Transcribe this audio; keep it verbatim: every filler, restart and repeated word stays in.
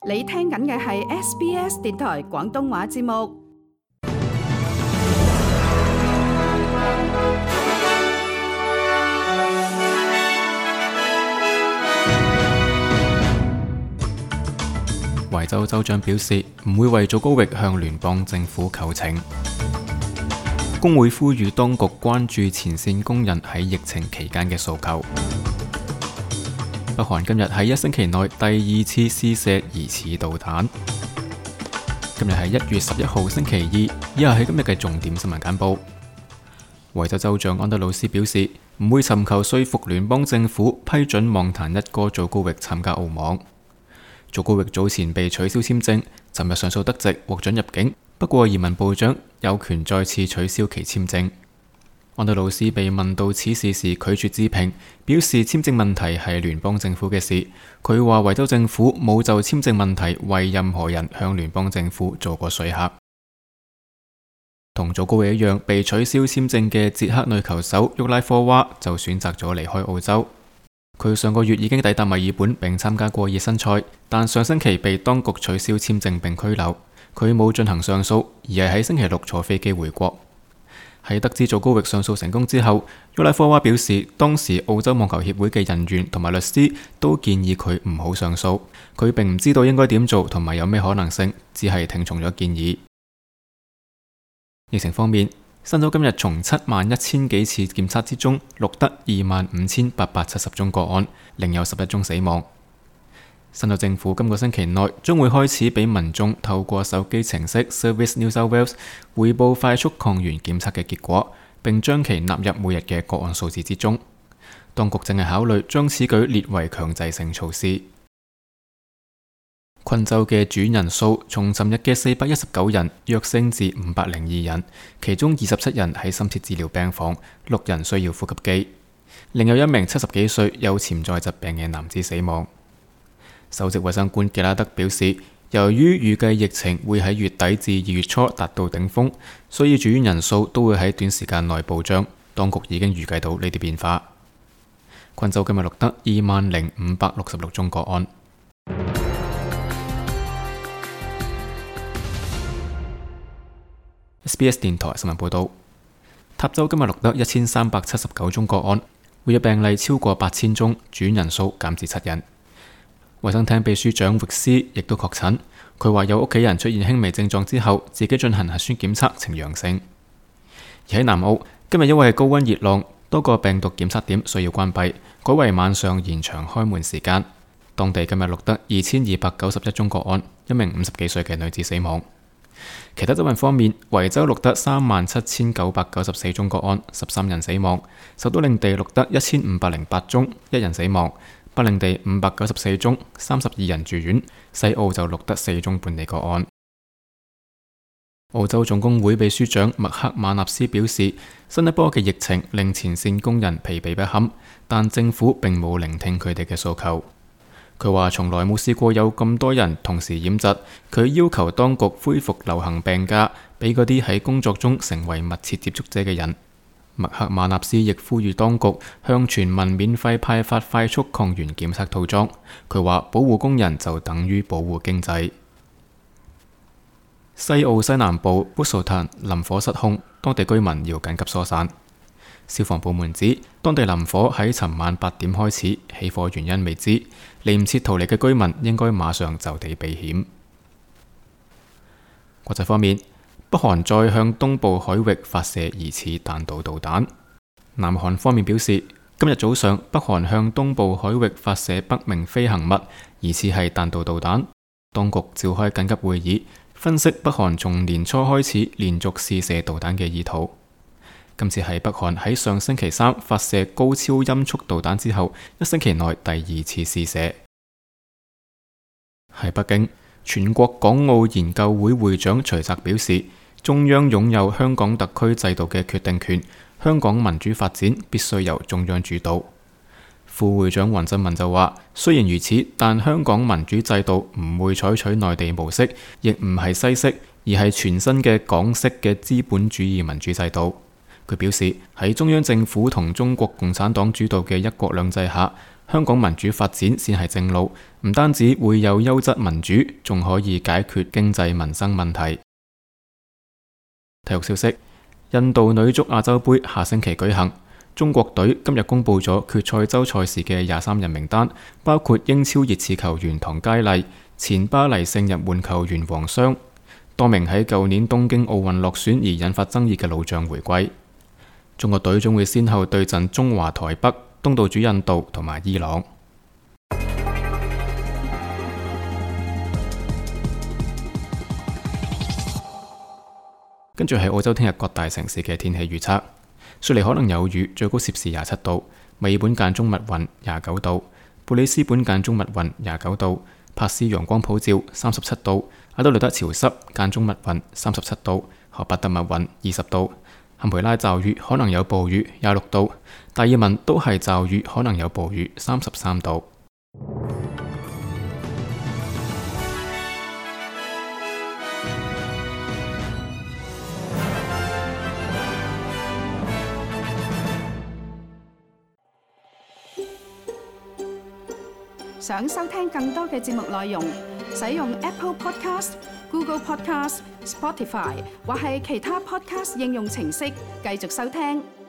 你聽緊嘅係 S B S 電台廣東話節目。維州州長表示唔會為祖高域向聯邦政府求情。工會呼籲當局關注前線工人喺疫情期間嘅訴求。北韓今日喺一星期內第二次試射疑似導彈。今日係一月十一號星期二，以下係今日嘅重點新聞簡報。維州州長安德魯斯表示唔會尋求說服聯邦政府批准網壇一哥祖高域參加澳網。祖高域早前被取消簽證，尋日上訴得直，獲准入境。不過移民部長有權再次取消其簽證。安德魯斯被問到此事時拒絕置評，表示簽證問題係聯邦政府嘅事。佢話維州政府冇就簽證問題為任何人向聯邦政府做過說客。同祖高域一樣被取消簽證嘅捷克女球手沃拉科娃就選擇咗離開澳洲。佢上個月已經抵達墨爾本並參加過熱身賽，但上星期被當局取消簽證並拘留。佢冇進行上訴，而係喺星期六坐飛機回國。喺得知祖高域上訴成功之後，沃拉科娃表示當時澳洲網球協會嘅人員同埋律師都建議佢唔好上訴。佢並唔知道應該點做同埋有咩可能性，只係聽從咗建議。疫情方面，新州今日從七萬一千幾次檢測之中錄得二萬五千八百七十宗個案，另有十一宗死亡。新州政府今個星期內將會開始俾民眾透過手機程式 Service New South Wales 匯報快速抗原檢測嘅結果，並將其納入每日嘅個案數字之中。當局正係考慮將此舉列為強制性措施。昆州嘅住院人數從尋日嘅四百一十九人躍升至五百零二人，其中二十七人喺深切治療病房，六人需要呼吸機。另有一名七十幾歲有潛在疾病嘅男子死亡。首席衛生官傑拉德表示，由於預計疫情會喺月底至二月初達到頂峰，所以住院人數都會喺短時間內暴漲。當局已經預計到呢啲變化。昆州今日錄得二萬零五百六十六宗個案。S B S 電台新聞報道，塔州今日錄得一千三百七十九宗個案，活躍病例超過八千宗，住院人數減至七人。衛生廳秘書長域斯亦都確診，佢話有屋企人出現輕微症狀之後，自己進行核酸檢測呈陽性。而喺南澳，今日因為高溫熱浪，多個病毒檢測點需要關閉，改為晚上延長開門時間。當地今日錄得二千二百九十一宗個案，一名五十幾歲嘅女子死亡。其他州份方面，維州錄得三萬七千九百九十四宗個案，十三人死亡；首都領地錄得一千五百零八宗，一人死亡；北領地五百九十四宗，三十二人住院；西澳就錄得四宗本地個案。澳洲總工會秘書長麥克馬納斯表示，新一波嘅疫情令前線工人疲憊不堪，但政府並冇聆聽佢哋嘅訴求。佢話從來冇試過有咁多人同時染疾，佢要求當局恢復流行病假，俾嗰啲喺工作中成為密切接觸者嘅人。麥克馬納斯亦呼籲當局向全民免費派發快速抗原檢測套裝。佢話保護工人就等於保護經濟。西澳西南部 Busselton 林火失控，當地居民要緊急疏散。消防部門指，當地林火喺尋晚八點開始，起火原因未知，嚟唔切逃離嘅居民應該馬上就地避險。國際方面，北韓再向東部海域發射疑似彈道導彈。南韓方面表示，今日早上北韓向東部海域發射不明飛行物，疑似係彈道導彈。當局召開緊急會議，分析北韓從年初開始連續試射導彈嘅意圖。今次係北韓喺上星期三發射高超音速導彈之後，一星期內第二次試射。喺北京，全國港澳研究會會長徐澤表示，中央擁有香港特區制度嘅決定權，香港民主發展必須由中央主導。副會長黃振文就話，雖然如此，但香港民主制度唔會採取內地模式，亦唔係西式，而係全新嘅港式嘅資本主義民主制度。佢表示，喺中央政府同中國共產黨主導嘅一國兩制下，香港民主發展先係正路，唔單止會有優質民主，仲可以解決經濟民生問題。體育消息：印度女足亞洲杯下星期舉行，中國隊今日公布咗決賽周賽事嘅廿三人名單，包括英超熱刺球員唐佳麗、前巴黎聖日門球員王霜，多名喺舊年東京奧運落選而引發爭議嘅老將回歸。中國隊將會先後對陣中華台北、東道主印度同埋伊朗。跟住係澳洲聽日各大城市嘅天氣預測：雪梨可能有雨，最高攝氏廿七度；墨爾本間中密雲，廿九度；布里斯本間中密雲，廿九度；珀斯陽光普照，三十七度；阿德萊德潮濕間中密雲，三十七度；荷伯特密雲，二十度；坎培拉驟雨可能有暴雨，廿六度；達爾文都係驟雨可能有暴雨，三十三度。想收聽更多嘅節目內容，使用 Apple Podcast、Google Podcast、Spotify 或係其他 Podcast 應用程式繼續收聽。